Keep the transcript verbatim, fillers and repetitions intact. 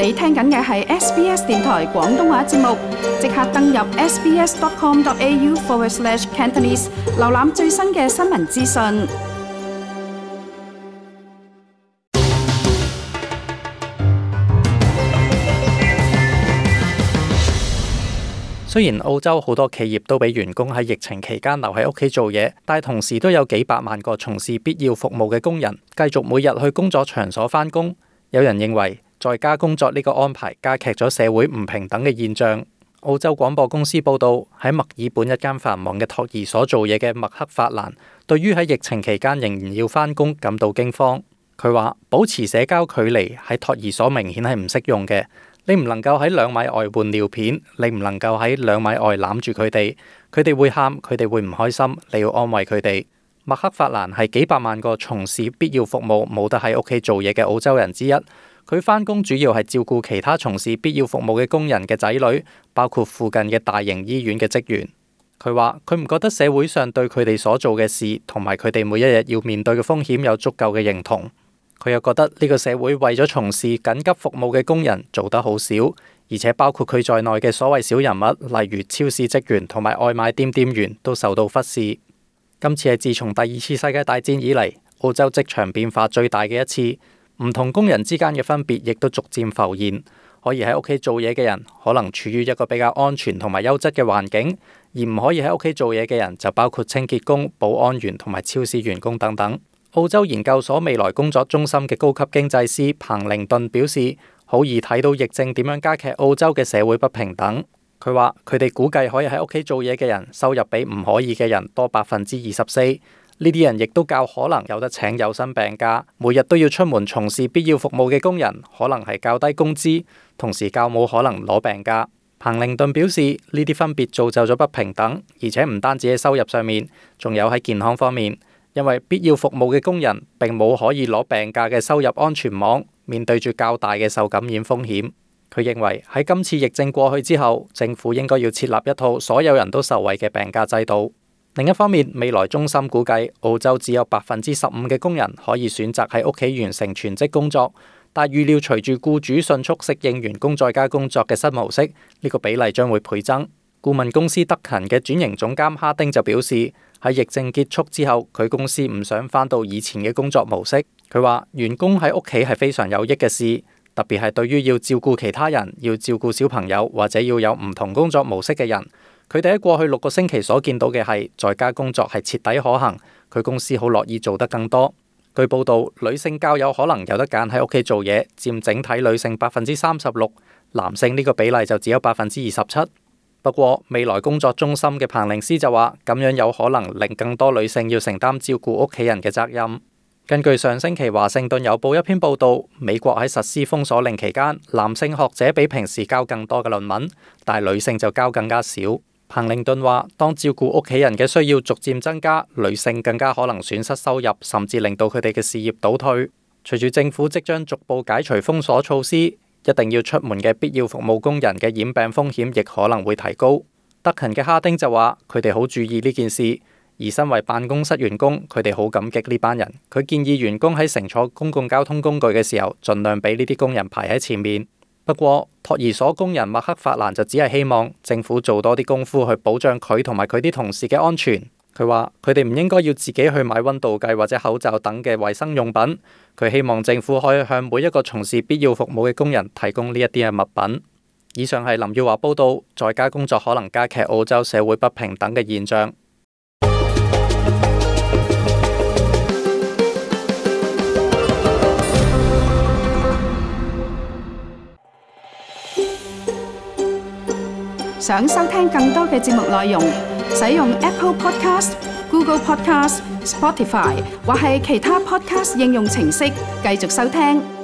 你聽緊嘅係 S B S 電台廣東話節目，即刻登入 sbs.com.au forward slash Cantonese， 瀏覽最新嘅新聞資訊。雖然澳洲好多企業都俾員工喺疫情期間留喺屋企做嘢，但同時都有幾百萬個從事必要服務嘅工人繼續每日去工作場所返工。有人認為在家工作呢個安排加劇咗社會唔平等嘅現象。澳洲廣播公司報道，喺墨爾本一間繁忙嘅托兒所做嘢嘅麥克法蘭，對於喺疫情期間仍然要返工感到驚慌。佢話保持社交距離喺托兒所明顯係唔適用嘅。你唔能夠喺兩米外換尿片，你唔能夠喺兩米外攬住佢哋，佢哋會喊，佢哋會唔開心，你要安慰佢哋。麥克法蘭係幾百萬個從事必要服務冇得喺屋企做嘢嘅澳洲人之一。佢返工主要係照顧其他從事必要服務嘅工人嘅仔女，包括附近嘅大型醫院嘅職員。佢話佢唔覺得社會上對佢哋所做嘅事同埋佢哋每一日要面對嘅風險有足夠嘅認同。佢又覺得呢個社會為咗從事緊急服務嘅工人做得好少，而且包括佢在內嘅所謂小人物，例如超市職員同埋外賣店店員都受到忽視。今次係自從第二次世界大戰以嚟，澳洲職場變化最大嘅一次，唔同工人之間嘅分別亦都逐漸浮現。可以喺屋企做嘢嘅人可能處於一個比較安全同埋優質嘅環境，而唔可以喺屋企做嘢嘅人就包括清潔工、保安員同埋超市員工等等。澳洲研究所未來工作中心嘅高級經濟師彭寧頓表示，好易睇到疫症點樣加劇澳洲嘅社會不平等。佢話佢哋估計可以喺屋企做嘢嘅人收入比唔可以嘅人多百分之二十四，呢啲人亦都較可能有得請有薪病假，每日都要出門從事必要服務嘅工人可能係較低工資，同時較冇可能攞病假。彭寧頓表示，呢啲分別造就咗不平等，而且唔單止喺收入上面，仲有喺健康方面。因為必要服務嘅工人並冇可以攞病假嘅收入安全網，面對住較大嘅受感染風險。佢認為喺今次疫症過去之後，政府應該要設立一套所有人都受惠嘅病假制度。另一方面，未來中心估計澳洲只有百分之十五嘅工人可以選擇喺屋企完成全職工作，但預料隨住僱主迅速適應員工在家工作嘅新模式，呢個比例將會倍增。顧問公司德勤嘅轉型總監哈丁就表示，喺疫症結束之後，佢公司唔想返到以前嘅工作模式。佢話員工喺屋企係非常有益嘅事，特別係對於要照顧其他人、要照顧小朋友或者要有唔同工作模式嘅人。佢哋喺過去六個星期所見到嘅係在家工作係徹底可行，佢公司好樂意做得更多。據報道，女性較有可能有得揀喺屋企做嘢，佔整體女性百分之三十六，男性呢個比例就只有百分之二十七。不過，未來工作中心嘅彭寧斯就話，咁樣有可能令更多女性要承擔照顧屋企人嘅責任。根據上星期華盛頓郵報一篇報道，美國喺實施封鎖令期間，男性學者比平時交更多嘅論文，但係女性就交更加少。彭寧頓話，當照顧屋企人嘅需要逐漸增加，女性更加可能損失收入，甚至令到佢哋嘅事業倒退。隨住政府即將逐步解除封鎖措施，一定要出門嘅必要服務工人嘅染病風險亦可能會提高。德勤嘅哈丁就話，佢哋好注意呢件事，而身為辦公室員工，佢哋好感激呢班人。佢建議員工喺乘坐公共交通工具嘅時候，盡量俾呢啲工人排喺前面。不過，托兒所工人麥克法蘭就只係希望政府做多啲功夫去保障佢同埋佢啲同事嘅安全。佢話佢哋唔應該要自己去買溫度計或者口罩等嘅衛生用品。佢希望政府可以向每一個從事必要服務嘅工人提供呢一啲嘅物品。以上係林耀華報道，在家工作可能加劇澳洲社會不平等嘅現象。想收聽更多嘅節目內容，使用 Apple Podcast、Google Podcast、Spotify 或係其他 Podcast 應用程式繼續收聽。